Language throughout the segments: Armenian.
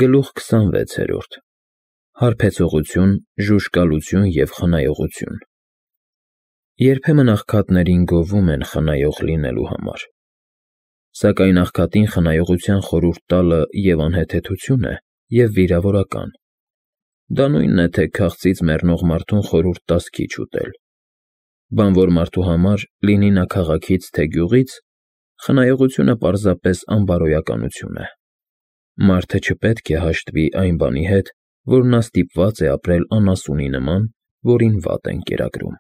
Գլուխ 26 Հարբեցողություն, ժուժկալություն և խնայողություն։ Երբեմն աղքատներին գովում են խնայող լինելու համար, սակայն աղքատին խնայողության խորհուրդ տալը և անհեթեթություն է, և վիրավորական։ Դա նույնն է, թե քաղցից մեռնող մարդուն խորհուրդ տաս քիչ ուտել։ Բանվոր մարդու համար, լինի նա քաղաքից, թե գյուղից, խնայողությունը պարզապես անբարոյականություն է։ Մարդը չպետք է հաշտվի այն բանի հետ, որ նա ստիպված է ապրել անասունի նման, որին վատ են կերակրում։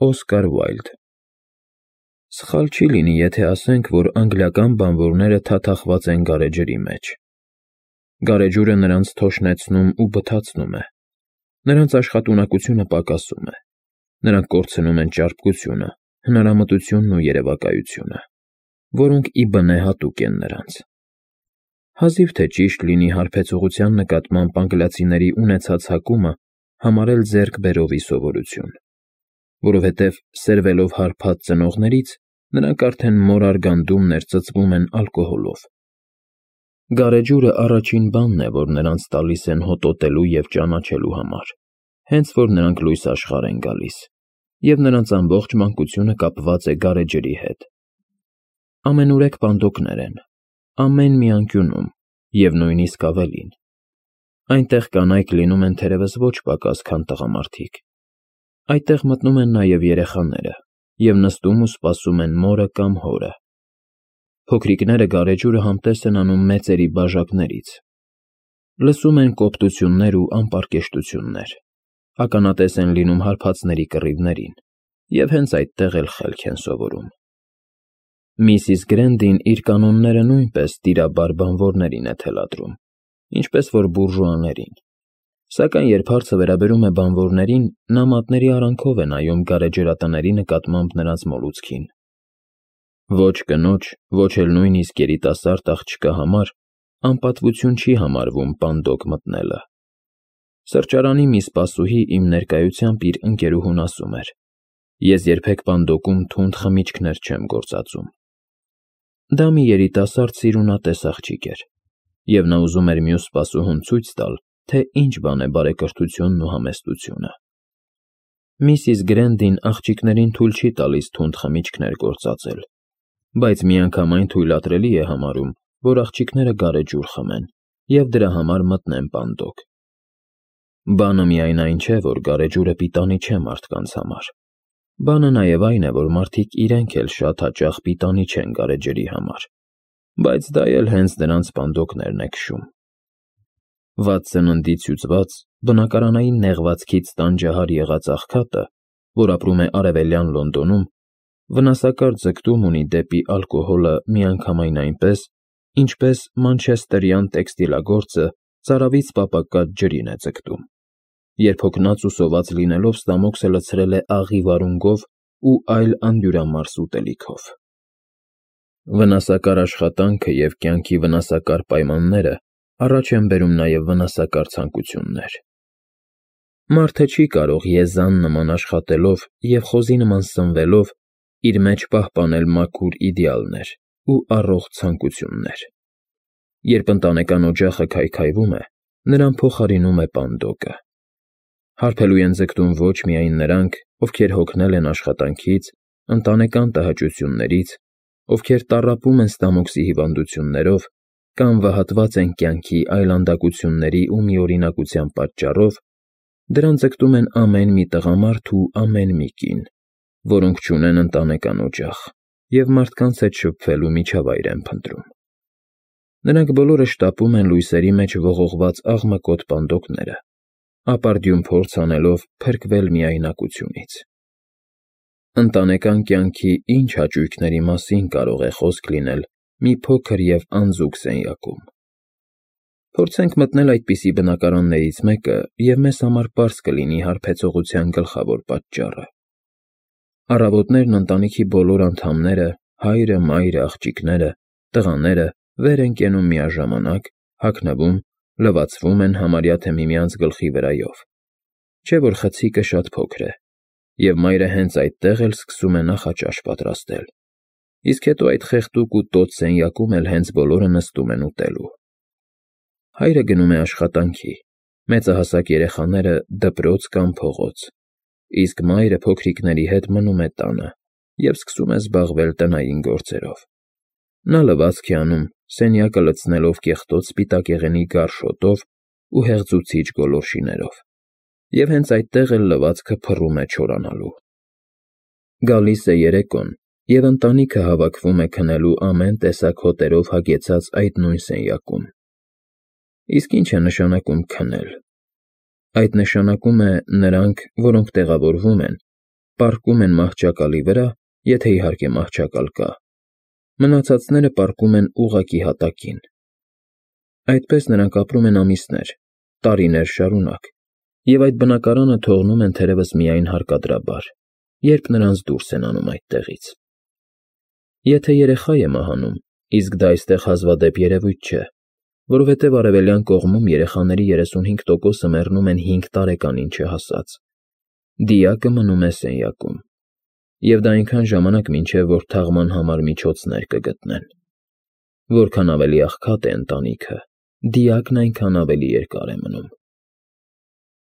Օսկար Ուայլդ։ Սխալ չի լինի, եթե ասենք, որ անգլիական բանվորները թաթախված են գարեջրի մեջ։ Գարեջուրը նրանց թոշնեցնում ու բթացնում է։ Նրանց աշխատունակությունը պակասում է։ Նրանք կորցնում են ճարպկությունը, հնարամտությունն ու երևակայությունը, որոնք ի բնե հատուկ են նրանց։ Հազիվ թե ճիշտ լինի հարբեցողության նկատմամբ անգլիացիների ունեցած հակումը համարել ձեռքբերովի սովորություն, որովհետև սերվելով հարբած ծնողներից, նրանք արդեն մորար գանդումներ ծծվում են ալկոհոլով։ Գարեջուրը առաջին բանն է, որ նրանց տալիս են հոտոտելու և ճանաչելու համար, հենց որ նրանք լույս աշխարհ են գալիս, և նրանց ամբողջ մանկությունը կապված է գարեջրի հետ։ Ամենուրեք պանդոկներ են, ամեն մի անկյունում, և նույնիսկ ավելին։ Այնտեղ կանայք լինում են թերևս ոչ պակաս, քան տղամարդիկ։ Այդտեղ մտնում են նաև երեխաները և նստում ու սպասում են մորը կամ հորը։ Փոքրիկները գարեջուրը համտես են անում մեծերի բաժակներից։ Լսում են կոպտություններ ու անպարկեշտություններ, ականատես են լինում հարբածների կռիվներին և հենց այդտեղ էլ խելք են սովորում։ Միսիս Գրենդին իր կանոնները նույնպես տիրաբար բանվորներին է թելադրում, ինչպես որ բուրժուաներին, սակայն երբ հարցը վերաբերում է բանվորներին, նա մատների արանքով է նայում գարեջրատների նկատմամբ նրանց մոլուցքին։ Ոչ կնոջ, ոչ էլ նույնիսկ երիտասարդ աղջկա համար անպատվություն չի համարվում պանդոկ մտնելը։ Սրճարանի մի սպասուհի իմ ներկայությամբ իր ընկերուհուն ասում էր. «Ես երբեք պանդոկում թունդ խմիչքներ չեմ գործածում»։ Դա մի երիտասարդ սիրունատես աղջիկ էր, և նա ուզում էր մյուս սպասուհուն ցույց տալ, թե ինչ բան է բարեկրթությունն ու համեստությունը։ Միսիս Գրենդին աղջիկներին թույլ չի տալիս թունդ խմիչքներ գործածել, բայց միանգամայն թույլատրելի է համարում, որ աղջիկները գարեջուր խմեն և դրա համար մտնեն պանդոկ։ Բանը միայն այն չէ, որ գարեջուրը պիտանի չէ մարդկանց համար։ Բանը նաև այն է, որ մարդիկ իրենք էլ շատ հաճախ պիտանի չեն գարեջրի համար, բայց դա էլ հենց նրանց պանդոկներն է քշում։ Վատ սննդից հյուծված, բնակարանային նեղվածքից տանջահար եղած աղքատը, որ ապրում է Արևելյան Լոնդոնում, վնասակար ձգտում ունի դեպի ալկոհոլը միանգամայն այնպես, ինչպես մանչեսթերյան տեքստիլագործը ծարավից պապակած ջրին է ձգտում, երբ հոգնած ու սոված լինելով ստամոքսը լցրել է աղի վարունգով ու այլ անդյուրամարս ուտելիքով։ Վնասակար աշխատանքը և կյանքի վնասակար պայմանները առաջ են բերում նաև վնասակար ցանկություններ։ Մարդը չի կարող եզան նման աշխատելով և խոզի նման սնվելով իր մեջ պահպանել մաքուր իդեալներ ու առողջ ցանկություններ։ Երբ ընտանեկան օջախը քայքայվում է, նրան փոխարինում է պանդոկը։ Հարբելու են ձգտում ոչ միայն նրանք, ովքեր հոգնել են աշխատանքից, ընտանեկան տհաճություններից, ովքեր տառապում են ստամոքսի հիվանդություններով կամ վհատված են կյանքի այլանդակությունների ու միօրինակության պատճառով, դրան ձգտում են ամեն մի տղամարդ ու ամեն մի կին, որոնք չունեն ընտանեկան օջախ և մարդկանց հետ շփվելու միջավայր են փնտրում։ Նրանք բոլորը շտապում են լույսերի մեջ ողողված աղմկոտ պանդոկները, ապարդյուն փորձ անելով փրկվել միայնակությունից։ Ընտանեկան կյանքի ինչ հաճույքների մասին կարող է խոսք լինել մի փոքր և անձուկ սենյակում։ Փորձենք մտնել այդպիսի բնակարաններից մեկը, և մեզ համար պարզ կլինի հարբեցողության գլխավոր պատճառը։ Առավոտներն ընտանիքի բոլոր անդամները, հայրը, մայրը, աղջիկները, տղաները վեր են կենում միաժամանակ, հագնվում, լվացվում են համարյա թե միմյանց գլխի վրայով, չէ՞ որ խցիկը շատ փոքր է, և մայրը հենց այդտեղ էլ սկսում է նախաճաշ պատրաստել, իսկ հետո այդ խեղդուկ ու տոց սենյակում էլ հենց բոլորը նստում են ուտելու։ Հայրը գնում է աշխատանքի, մեծահասակ երեխաները դպրոց կամ փողոց, իսկ մայրը փոքրիկների հետ մնում է տանը և սկսում է զբաղվել տնային գործերով։ Նա լվացք է անում, սենյակը լցնելով կեղտոտ սպիտակեղենի գարշոտով ու հեղձուցիչ գոլորշիներով, և հենց այդտեղ էլ լվացքը փռում է չորանալու։ Գալիս է երեկոն, և ընտանիքը հավաքվում է քնելու ամեն տեսակ հոտերով հագեցած այդ նույն սենյակում։ Իսկ ի՞նչ է նշանակում քնել։ Այդ նշանակում է նրանք, որոնք տեղավորվում են, պառկում են մահճակալի վրա, եթե իհարկե մահճակալ կա, մնացածները պառկում են ուղղակի հատակին։ Այդպես նրանք ապրում են ամիսներ, տարիներ շարունակ, և այդ բնակարանը թողնում են թերևս միայն հարկադրաբար, երբ նրանց դուրս են անում այդտեղից։ Եթե երեխա է մահանում, իսկ դա այստեղ հազվադեպ երևույթ չէ, որովհետև արևելյան կողմում երեխաների 35%-ը մեռնում են 5 տարեկանին չհասած, դիակը մնում է սենյակում, և դա այնքան ժամանակ մինչև որ թաղման համար միջոցներ կգտնեն։ Որքան ավելի աղքատ է ընտանիքը, դիակն այնքան ավելի երկար է մնում։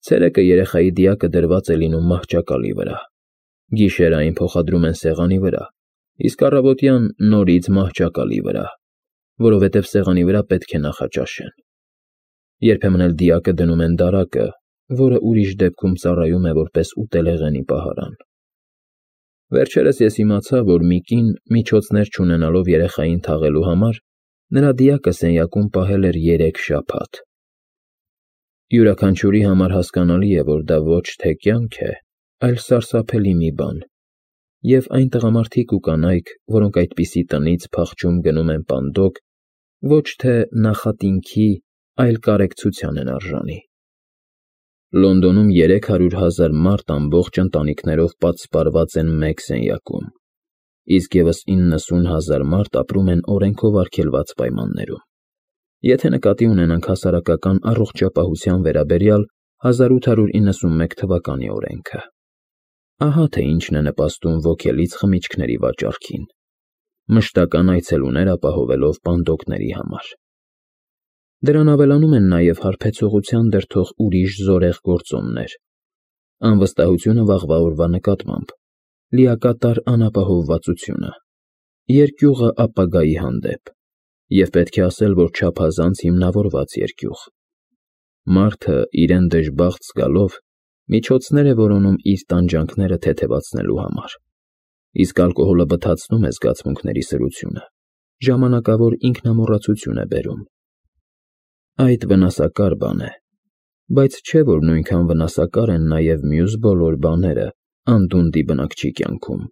Ցերեկը երեխայի դիակը դրված է լինում մահճակալի վրա, գիշերային փոխադրում են սեղանի վրա, իսկ առավոտյան նորից մահճակալի վրա, որովհետև սեղանի վրա պետք է նախաճաշեն։ Երբեմն էլ դիակը դնում են դարակը, որը ուրիշ դեպքում ծառայում է որպես ուտելեղենի պահարան։ Վերջերս ես իմացա, որ մի կին միջոցներ չունենալով երեխային թաղելու համար, նրա դիակը սենյակում պահել էր 3 շաբաթ։ Յուրաքանչյուրի համար հասկանալի է, որ դա ոչ թե կյանք է, այլ սարսափելի մի բան, և այն տղամարդիկ ու կանայք, որոնք այդպիսի տնից փախչում գնում են պանդոկ, ոչ թե նախատինքի, այլ կարեկցության են արժանի։ Լոնդոնում 300,000 մարդ ամբողջ ընտանիքներով պատսպարված են մեկ սենյակում, իսկ ևս 90,000 մարդ ապրում են օրենքով արգելված պայմաններում։ Եթե նկատի ունենանք հասարակական առողջապահության վերաբերյալ 1891 թվականի օրենքը, ահա թե ինչն է նպաստում ոգելից խմիչքների վաճառքին, մշտական այցելուներ ապահովելով պանդոկների համար։ Դրան ավելանում են նաև հարբեցողության դրդող ուրիշ զորեղ գործոններ, անվստահությունը վաղվա օրվա նկատմամբ, լիակատար անապահովվածությունը, երկյուղը ապագայի հանդեպ, և պետք է ասել, որ չափազանց հիմնավորված երկյուղ։ Մարդը, իրեն դժբախտ զգալով, միջոցներ է որոնում իր տանջանքները թեթևացնելու համար, իսկ ալկոհոլը բթացնում է զգացմունքների սրությունը, ժամանակավոր ինքնամոռացություն է բերում։ Այդ վնասակար բան է, բայց չէ, որ նույնքան վնասակար են նաև մյուս բոլոր բաները անդունդի բնակչի կյանքում։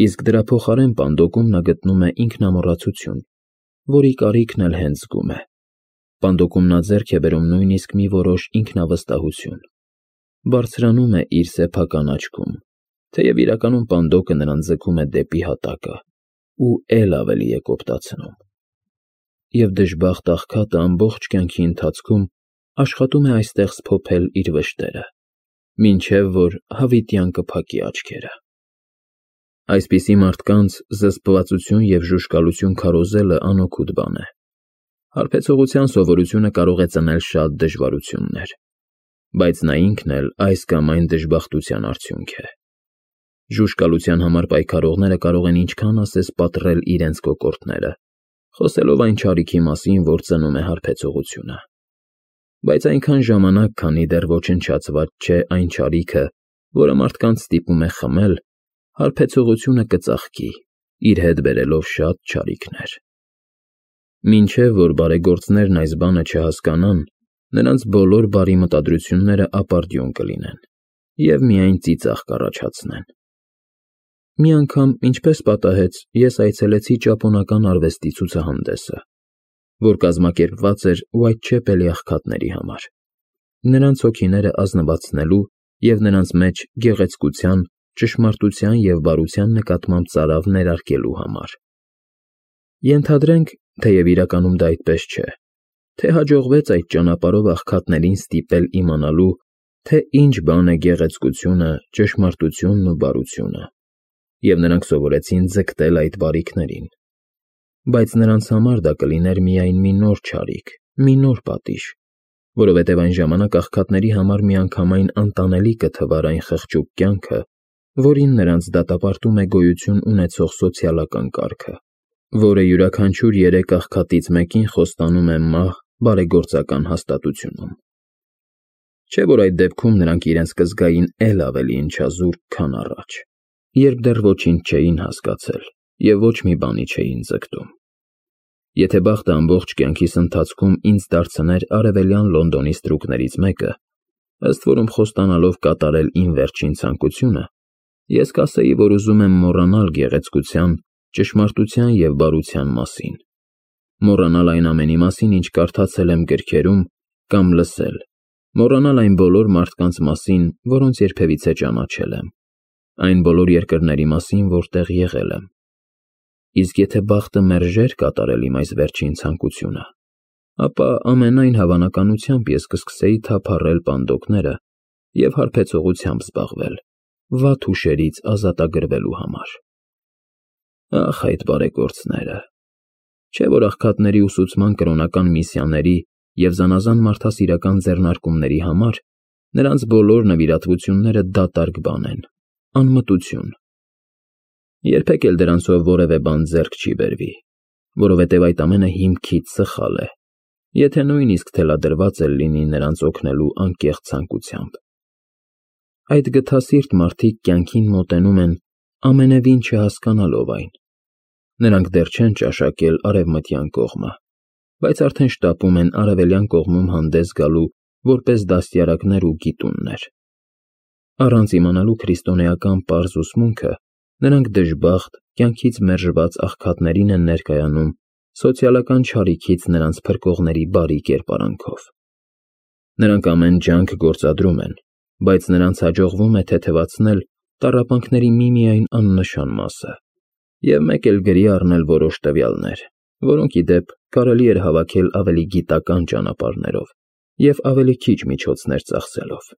Իսկ դրա փոխարեն պանդոկում նա գտնում է ինքնամոռացություն, որի կարիքն էլ հենց զգում է։ Պանդոկում նա ձեռք է բերում նույնիսկ մի որոշ ինքնավստահություն, բարձրանում է իր սեփական աչքում, թեև իրականում պանդոկը նրան ձգում է դեպի հատակը ու էլ ավելի է կոպտացնում։ Եվ դժբախտ աղքատը ամբողջ կյանքի ընթացքում աշխատում է այստեղ սփոփել իր վշտերը, մինչև որ հավիտյան կփակի աչքերը։ Այսպիսի մարդկանց զսպվածություն և ժուժկալություն քարոզելը անօգուտ բան է։ Հարբեցողության սովորությունը կարող է ծնել շատ դժվարություններ, բայց նա ինքն էլ այս կամ այն դժբախտության արդյունք է։ Ժուժկալության համար պայքարողները կարող են ինչքան ասես պատռել իրենց կոկորդները, խոսելով այն չարիքի մասին, որ ծնում է հարբեցողությունը։ Բայց այնքան ժամանակ, քանի դեռ ոչնչացված չէ այն չարիքը, որը մարդկանց ստիպում է խմել, հարբեցողությունը կծաղկի, իր հետ բերելով շատ չարիքներ։ Մինչև որ բարեգործներն այս բանը չհասկանան, նրանց բոլոր բարի մտադրությունները ապարդյուն կլինեն և միայն ծիծաղ կառաջացնեն։ Մի անգամ, ինչպես պատահեց, ես այցելեցի ճապոնական արվեստի ցուցահանդեսը, որ կազմակերպված էր Ուայթչեպելի աղքատների համար, նրանց հոգիները ազնվացնելու և նրանց մեջ գեղեցկության, ճշմարտության և բարության նկատմամբ ծարավ ներարկելու համար։ Ենթադրենք, թեև իրականում դա այդպես չէ, թե հաջողվեց այդ ճանապարհով աղքատներին ստիպել իմանալու, թե ինչ բան է գեղեցկությունը, ճշմարտությունն ու բարությունը, և նրանք սովորեցին ձգտել այդ բարիքներին։ Բայց նրանց համար դա կլիներ միայն մի նոր չարիք, մի նոր պատիժ, որովհետև այն ժամանակ աղքատների համար միանգամայն անտանելի կթվար այն խղճուկ կյանքը, որին նրանց դատապարտում է գոյություն ունեցող սոցիալական կարգը, որը յուրաքանչյուր 3 աղքատից մեկին խոստանում է մահ բարեգործական հաստատությունում։ Չէ՞ որ այդ դեպքում նրանք իրենց կզգային էլ ավելի ընչազուրկ, քան առաջ, երբ դեռ ոչինչ չէին հասկացել և ոչ մի բանի չէին ձգտում։ Եթե բախտը ամբողջ կյանքիս ընթացքում ինձ դարձներ Արևելյան Լոնդոնի ստրուկներից մեկը, ըստ որում խոստանալով կատարել իմ վերջին ցանկությունը, ես կասեի, որ ուզում եմ մոռանալ գեղեցկության, ճշմարտության և բարության մասին, մոռանալ այն ամենի մասին, ինչ կարդացել եմ գրքերում կամ լսել, մոռանալ այն բոլոր մարդկանց մասին, որոնց երբևիցե ճանաչել եմ, այն բոլոր երկրների մասին, որտեղ եղել եմ։ Իսկ եթե բախտը մերժեր կատարել իմ այս վերջին ցանկությունը, ապա ամենայն հավանականությամբ ես կսկսեի թափառել պանդոկները և հարբեցողությամբ զբաղվել, վատ հուշերից ազատագրվելու համար։ Ախ, այդ բարեգործները։ Չէ՞ որ աղքատների ուսուցման կրոնական միսիաների և զանազան մարդասիրական ձեռնարկումների համար նրանց բոլոր նվիրատվությունները դատարկ բան են, անմտություն։ Երբեք էլ դրանցով որևէ բան ձեռք չի բերվի, որովհետև այդ ամենը հիմքից սխալ է, եթե նույնիսկ թելադրված էլ լինի նրանց օգնելու անկեղծ ցանկությամբ։ Այդ գթասիրտ մարդիկ կյանքին մոտենում են ամենևին չհասկանալով այն։ Նրանք դեռ չեն ճաշակել արևմտյան կողմը, բայց արդեն շտապում են արևելյան կողմում հանդես գալու որպես դաստիարակներ ու գիտուններ։ Առանց իմանալու քրիստոնեական պարզ ուսմունքը, նրանք դժբախտ, կյանքից մերժված աղքատներին են ներկայանում սոցիալական չարիքից նրանց փրկողների բարի կերպարանքով։ Նրանք ամեն ջանք գործադրում են, բայց նրանց հաջողվում է թեթևացնել տառապանքների միմիայն աննշան մասը և մեկ էլ գրի առնել որոշ տվյալներ, որոնք, ի դեպ, կարելի էր հավաքել ավելի գիտական ճանապարհներով և ավելի քիչ միջոցներ ծախսելով։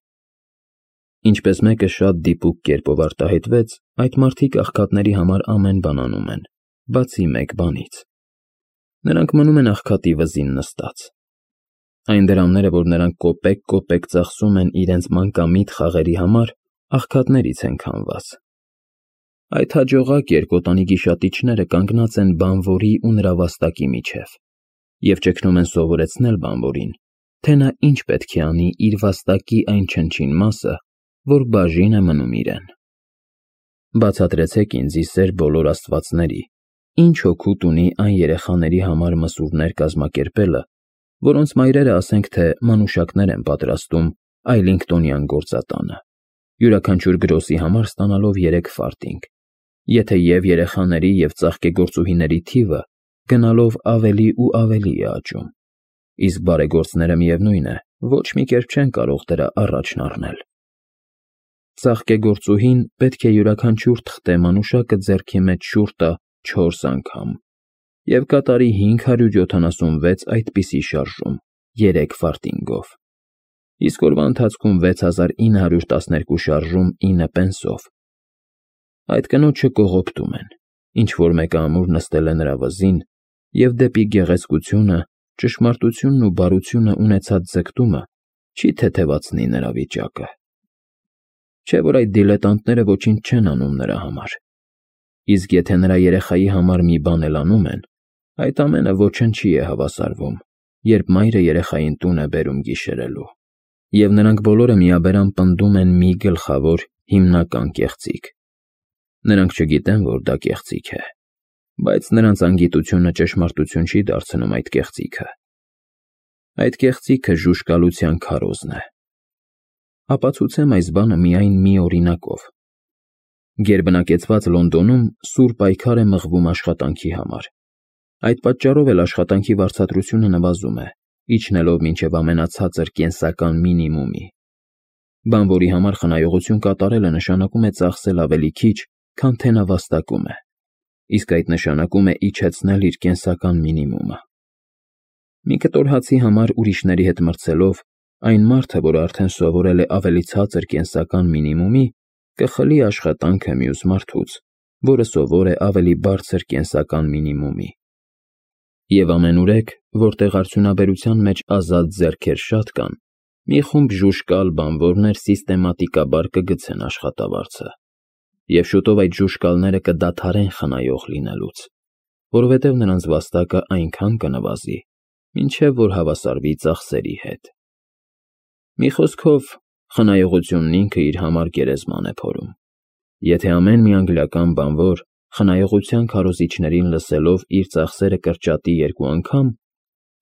Ինչպես մեկը շատ դիպուկ կերպով արտահայտվեց, այդ մարդիկ աղքատների համար ամեն բան անում են, բացի մեկ բանից։ Նրանք մնում են աղքատի վզին նստած։ Այն դրամները, որ նրանք կոպեկ-կոպեկ ծախսում են իրենց մանկամիտ խաղերի համար, աղքատներից են քամված։ Այդ հաջողակ երկոտանի գիշատիչները կանգնած են բանվորի ու նրա վաստակի միջև և ճգնում են սովորեցնել բանվորին, թե նա ինչ պետք է անի իր վաստակի այն չնչին մասը, որ բաժին է մնում իրեն։ Բացատրեցեք ինձ, ի սեր բոլոր աստվածների, ինչ օգուտ ունի այն երեխաների համար մսուրներ կազմակերպելը, որոնց մայրերը ասենք թե մանուշակներ են պատրաստում Այլինգտոնյան գործատանը, յուրաքանչյուր գրոսի համար ստանալով 3 ֆարտինգ, եթե և երեխաների և ծաղկեգործուհիների թիվը գնալով ավելի ու ավելի է աճում, իսկ բարեգործները, միևնույն է, ոչ մի կերպ չեն կարող դրա առաջն առնել։ Ծաղկեգործուհին պետք է յուրաքանչյուր թղթե մանուշակը ձեռքի մեջ շուռ տա 4 անգամ և կատարի 576 այդպիսի շարժում 3 ֆարտինգով, իսկ օրվա ընթացքում 6912 շարժում 9 պենսով։ Այդ կնոջը կողոպտում են, ինչ-որ մեկը ամուր նստել է նրա վզին և դեպի գեղեցկությունը, ճշմարտությունն ու բարությունը ունեցած ձգտումը չի թեթևացնի նրա վիճակը։ Չէ՞ որ այդ դիլետանտները ոչինչ չեն անում նրա համար, իսկ եթե նրա երեխայի համար մի բան էլ անում են, այդ ամենը ոչնչի է հավասարվում, երբ մայրը երեխային տուն է բերում գիշերելու, և նրանք բոլորը միաբերան պնդում են մի գլխավոր հիմնական կեղծիք։ Նրանք չգիտեն, որ դա կեղծիք է, բայց նրանց անգիտությունը ճշմարտություն չի դարձնում այդ կեղծիքը։ Այդ կեղծիքը ժուժկալության քարոզն է։ Ապացուցեմ այս բանը միայն մի օրինակով։ Գերբնակեցված Լոնդոնում սուր պայքար է մղվում աշխատանքի համար։ Այդ պատճառով էլ աշխատանքի վարձատրությունը նվազում է, իջնելով մինչև ամենացածր կենսական մինիմումի։ Բանվորի համար խնայողություն կատարելը նշանակում է ծախսել ավելի քիչ, քան թե նա վաստակում է, իսկ այդ նշանակում է իջեցնել իր կենսական մինիմումը։ Մի կտոր հացի համար ուրիշների հետ մրցելով, այն մարդը, որը արդեն սովորել է ավելի ցածր կենսական մինիմումի, կխլի աշխատանքը մյուս մարդուց, որը սովոր է ավելի բարձր կենսական մինիմումի։ Եվ ամենուրեք, որտեղ արդյունաբերության մեջ ազատ ձեռքեր շատ կան, մի խումբ ժուժկալ բանվորներ սիստեմատիկաբար կգցեն աշխատավարձը, և շուտով այդ ժուժկալները կդադարեն խնայող լինելուց, որովհետև նրանց վաստակը այնքան կնվազի, մինչև որ հավասարվի ծախսերի հետ։ Մի խոսքով, խնայողությունն ինքը իր համար գերեզման է փորում։ Եթե ամեն մի անգլիական բանվոր խնայողության քարոզիչներին լսելով իր ծախսերը կրճատի 2 անգամ,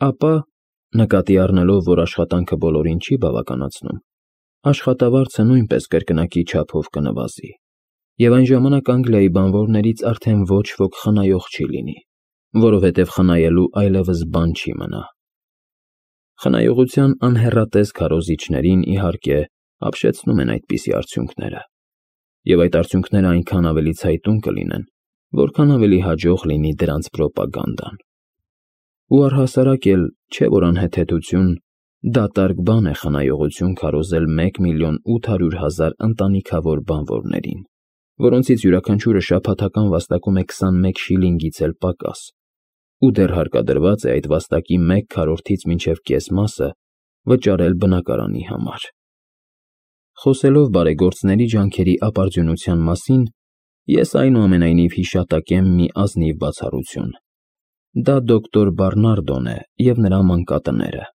ապա, նկատի առնելով, որ աշխատանքը բոլորին չի բավականացնում, աշխատավարձը նույնպես կրկնակի չափով կնվազի, և այն ժամանակ Անգլիայի բանվորներից արդեն ոչ ոք խնայող չի լինի, որովհետև խնայելու այլևս բան չի մնա։ Խնայողության անհեռատես քարոզիչներին, իհարկե, ապշեցնում են այդպիսի արդյունքները, և այդ արդյունքները այնքան ավելի ցայտուն կլինեն, որքան ավելի հաջող լինի դրանց պրոպագանդան։ Ու առհասարակ էլ չէ, որ անհեթեթություն դատարկ բան է խնայողություն քարոզել 1,800,000 ընտանիքավոր բանվորներին, որոնցից յուրաքանչյուրը շաբաթական վաստակում է 21 շիլինգից էլ պակաս, ու դեռ հարկադրված է այդ վաստակի 1/4-ից մինչև կես մասը վճարել բնակարանի համար։ Խոսելով բարեգործների ջանքերի ապարդյունության մասին, ես այնուամենայնիվ հիշատակեմ մի ազնիվ բացառություն։ Դա դոկտոր Բարնարդոն է և նրա մանկատները։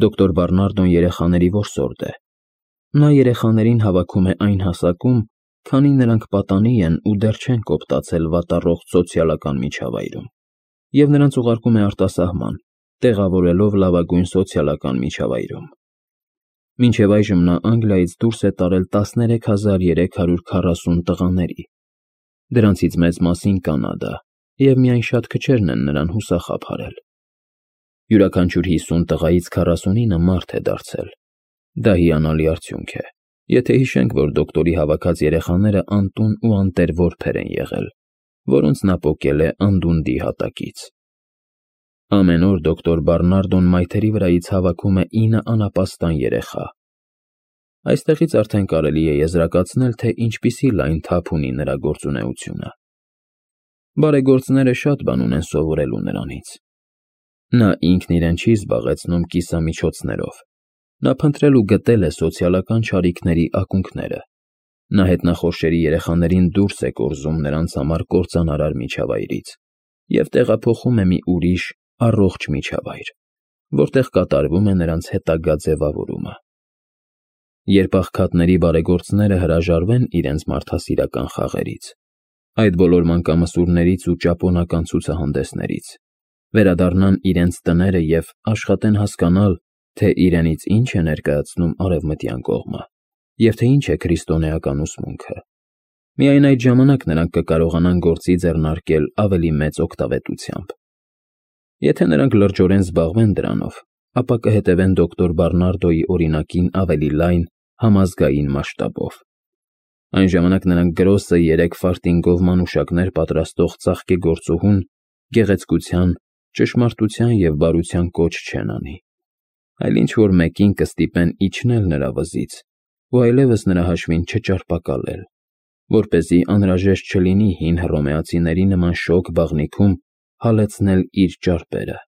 Դոկտոր Բարնարդոն երեխաների որսորդ է։ Նա երեխաներին հավաքում է այն հասակում, քանի նրանք պատանի են ու դեռ չեն կոպտացել վատառողջ սոցիալական միջավայրում, և նրանց ուղարկում է արտասահման, տեղավորելով լավագույն սոցիալական միջավայրում։ Մինչև այժմ նա Անգլիայից դուրս է տարել 13,340 տղաների, դրանցից մեծ մասին Կանադա, և միայն շատ քչերն են նրան հուսախաբ հարել։ Յուրաքանչյուր 50 տղայից 49-ը մարդ է դարձել։ Դա հիանալի արդյունք է, եթե հիշենք, որ դոկտորի հավաքած երեխաները անտուն ու անտեր որբեր են եղել, որոնց նա պոկել է անդունդի հատակից։ Ամեն օր դոկտոր Բարնարդոն մայթերի վրայից հավաքում է 9 անապաստան երեխա։ Այստեղից արդեն կարելի է եզրակացնել, թե ինչպիսի լայն թափ ունի նրա գործունեությունը։ Բարեգործները շատ բան ունեն սովորելու նրանից։ Նա ինքն իրեն չի զբաղեցնում կիսամիջոցներով։ Նա փնտրել ու գտել է սոցիալական չարիքների ակունքները։ Նա հետնախորշերի երեխաներին դուրս է կորզում նրանց համար կործանարար միջավայրից և տեղափոխում է մի ուրիշ, առողջ միջավայր, որտեղ կատարվում է նրանց հետագա ձևավորումը։ Երբ աղքատների բարեգործները հրաժարվեն իրենց մարդասիրական խաղերից, այդ բոլոր մանկամսուրներից ու ճապոնական ցուցահանդեսներից, վերադառնան իրենց տները և աշխատեն հասկանալ, թե իրենից ինչ է ներկայացնում արևմտյան կողմը, և թե ինչ է քրիստոնեական ուսմունքը, միայն այդ ժամանակ նրանք կկարողանան գործի ձեռնարկել ավելի մեծ օգտավետությամբ։ Եթե նրանք լրջորեն զբաղվեն դրանով, ապա կհետևեն դոկտոր Բարնարդոյի օրինակին ավելի լայն, համազգային մասշտաբով։ Այն ժամանակ նրանք գրոսը 3 ֆարտինգով մանուշակներ պատրաստող ծաղկեգործուհուն գեղեցկության, ճշմարտության և բարության կոչ չեն անի, այլ ինչ-որ մեկին կստիպեն իջնել նրա վզից ու այլևս նրա հաշվին չճարպակալել, որպեսզի անհրաժեշտ չլինի հին հռոմեացիների նման շոգ բաղնիքում հալեցնել իր ճարպերը։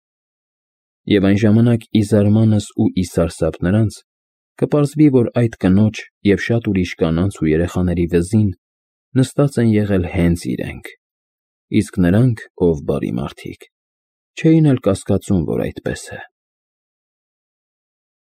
Եվ այն ժամանակ ի զարմանս ու ի սարսափ նրանց կպարզվի, որ այդ կնոջ և շատ ուրիշ կանանց ու երեխաների վզին նստած են եղել հենց իրենք, իսկ նրանք, ով բարի մարդիկ, չէին էլ կասկածում, որ այդպես է։